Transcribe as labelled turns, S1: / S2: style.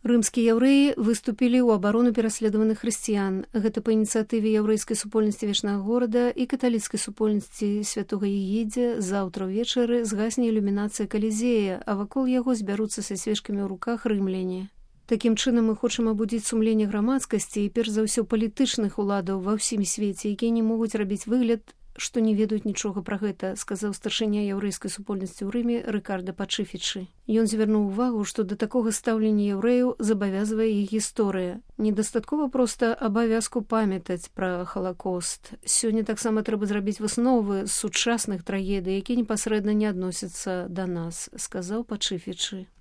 S1: Рымскія яўрэі выступілі ў абарону пераследаваных хрысціян. Гэта па ініцыятыве яўрэйскай супольнасці вечнага горада і каталіцкай супольнасці святога Егідзе заўтра ўвечары згасне ілюмінацыя Калізея, а вакол яго збяруцца са свечкамі ў руках рымляне. Такім чынам мы хочам абудзіць сумленне грамадскасці і перш за ўсё палітычных уладаў ва ўсім свеце, якія не могуць рабіць выгляд, што не ведаюць нічога пра гэта, сказаў старшыня яўрэйскай супольнасці ў Рыме Рыкарда Пачыфічы. Ён звярнуў увагу, што да такога стаўлення яўрэяў забавязвае іх гісторыя. Недастаткова проста абавязку памятаць пра Халакост. Сёння таксама трэба зрабіць высновы з сучасных трагедый, якія непасрэдна не адносяцца да нас, сказаў Пачыфічы.